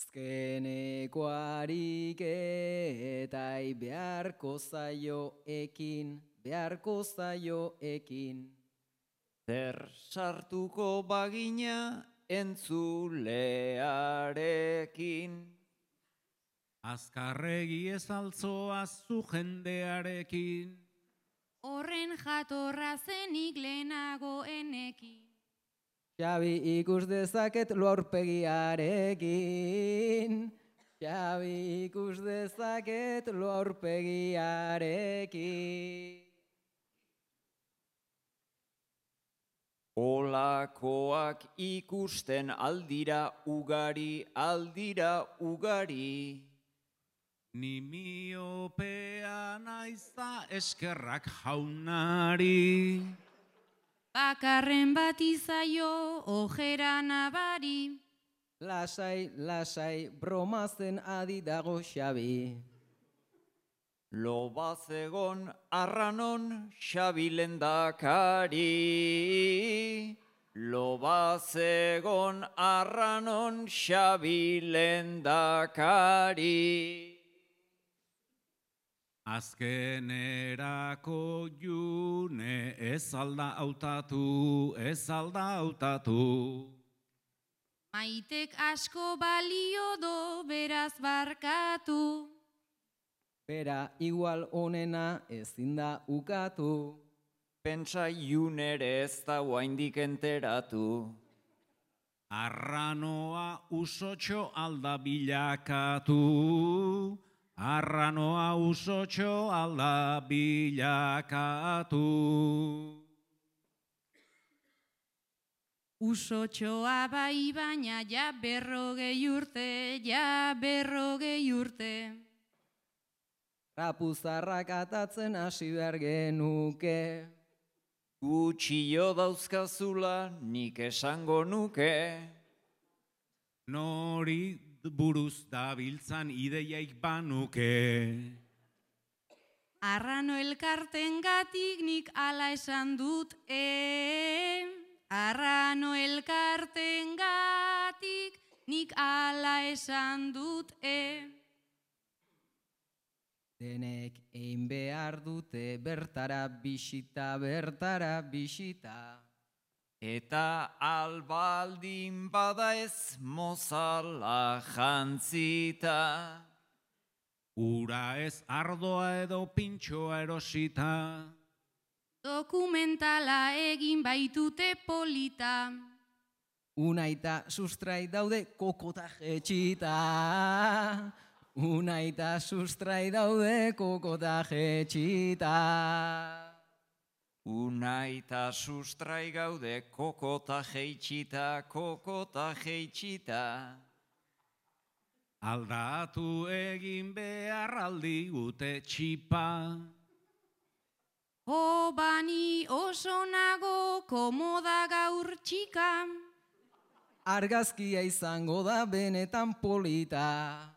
Azkeneko ariketai beharko zaioekin. Zer sartuko bagina entzulearekin. Azkarregi ez altzoa zu jendearekin. Horren jatorra zenik lehenagoenekin. Xabi ikus dezaket lo aurpegiarekin. Xabi ikus dezaket lo aurpegiarekin. Olakoak ikusten aldira ugari. Ni miopea naiza eskerrak jaunari. Bakarren bat izaio ojera nabari. Lasai, bromazen adi dago Xabi. Lobazegon arranon Xabi lendakari. Lobazegon arranon Xabi lendakari. Azkenerako june ez alda hautatu. Maitek asko balio do beraz barkatu. Bera igual onena ezin da ukatu. Pentsa iunere ez da oraindik enteratu. Arranoa usotxo alda bilakatu. Arranoa usotxo alda bilakatu. Usotxoa bai baina ja berrogei urte. Rapuzarrak atatzen hasi behar genuke. Gutxio dauzkazula nik esango nuke. Nori buruz dabiltzan ideiaik banuke. Arrano elkartengatik nik ala esan dut, Arrano elkartengatik nik ala esan dut, Denek egin behar dute bertara bisita. Eta albaldin bada ez mozala jantzita. Ura ez ardoa edo pintxoa erosita. dokumentala egin baitute polita. Unaita sustrai daude kokota jetxita. Unaita sustrai daude kokota jetxita. Unaita sustrai gaude kokota jeitxita. Aldatu egin behar aldi gute txipa. Bani oso nago komoda gaur txika. Argazkia izango da benetan polita.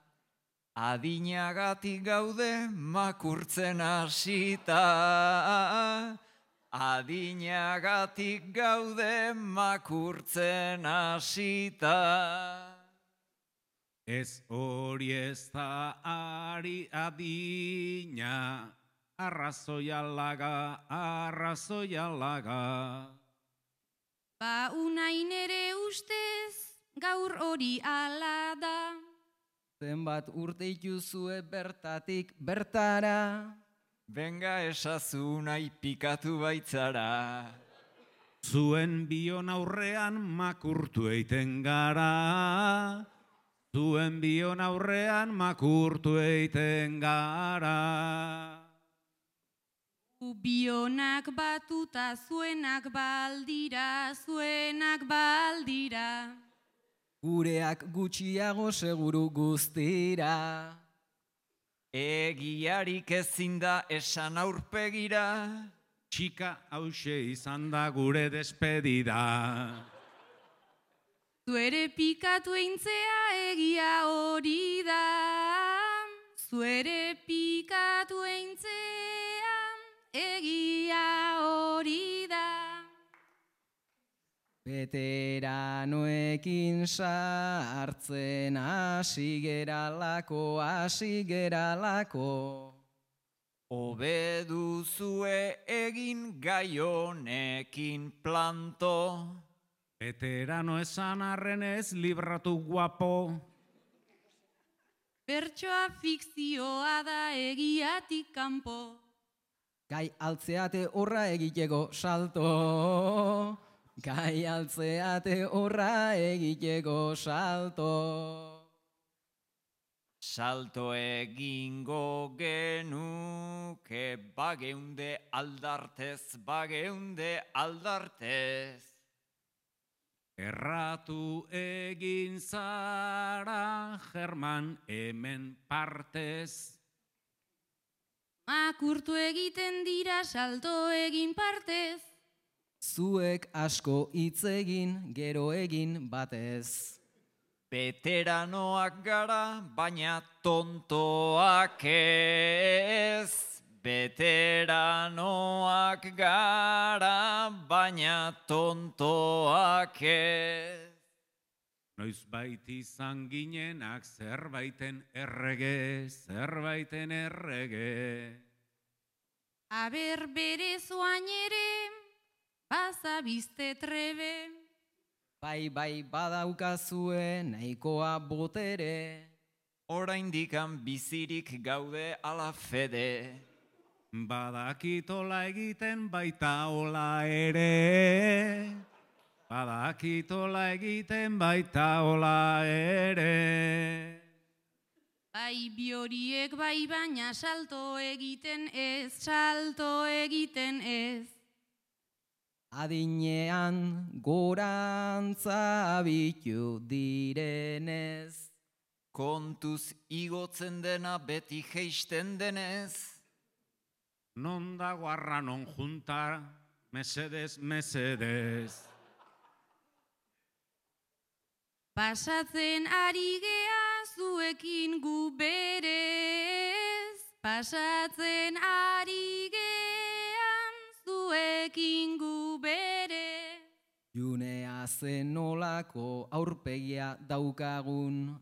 Adinagatik gaude makurtzen hasita. Adinagatik gaude makurtzen hasita. Ez hori ez da ari adina, arrazoia laga. Ba unain ere ustez gaur hori ala da. Zenbat urte ituzue bertatik bertara. Benga esazu nahi pikatu baitzara. Zuen bion aurrean makurtu eiten gara. Zuen bion aurrean makurtu eiten gara. Bionak batuta zuenak baldira. Gureak gutxiago seguru guztira. Egiarik ezin da esan aurpegira. Txika hause izan da gure despedida. Zuere pikatu eintzea egia hori da. Zuere pikatu eintzea egia hori da. Veteranoekin sartzen hasi geralako. Hobe duzue egin gai honekin planto. Veterano esan arren ez libratu guapo. Bertsoa fikzioa da egiatik kanpo. Gai altzeate horra egiteko salto. Gai altzeate horra egiteko salto. Salto egingo genuke bageunde aldartez. Erratu egin zara, German, hemen partez. Makurtu egiten dira salto egin partez. Zuek asko hitz egin, gero egin batez. Veteranoak gara, baina tontoak ez. Veteranoak gara, baina tontoak ez. Noizbait izan ginenak zerbaiten errege. Aber bere zoain ere, bazabizte trebe. Bai badaukazue nahikoa botere. Oraindikan bizirik gaude ala fede. Badakitola egiten baita ola ere. Bai bioriek bai baina salto egiten ez. Adinean gorantza abitu direnez. Kontuz igotzen dena beti geisten denez. Non dago arranon junta, mesedez. Pasatzen ari gea zuekin gu berez. Pasatzen ari gean zuekin gu berez. Junea zenolako aurpegia daukagun.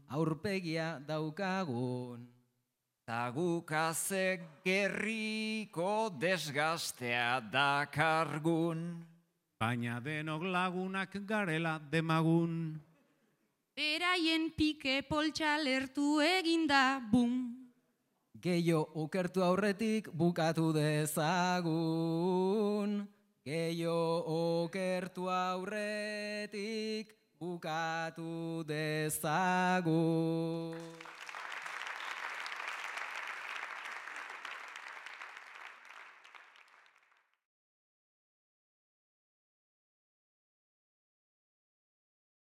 Tagukazek gerriko desgastea dakargun. Baina denok lagunak garela demagun. Beraien pike poltsa lertu eginda, bum. Gehiago okertu aurretik bukatu dezagun. Gehiago okertu aurretik bukatu dezagun.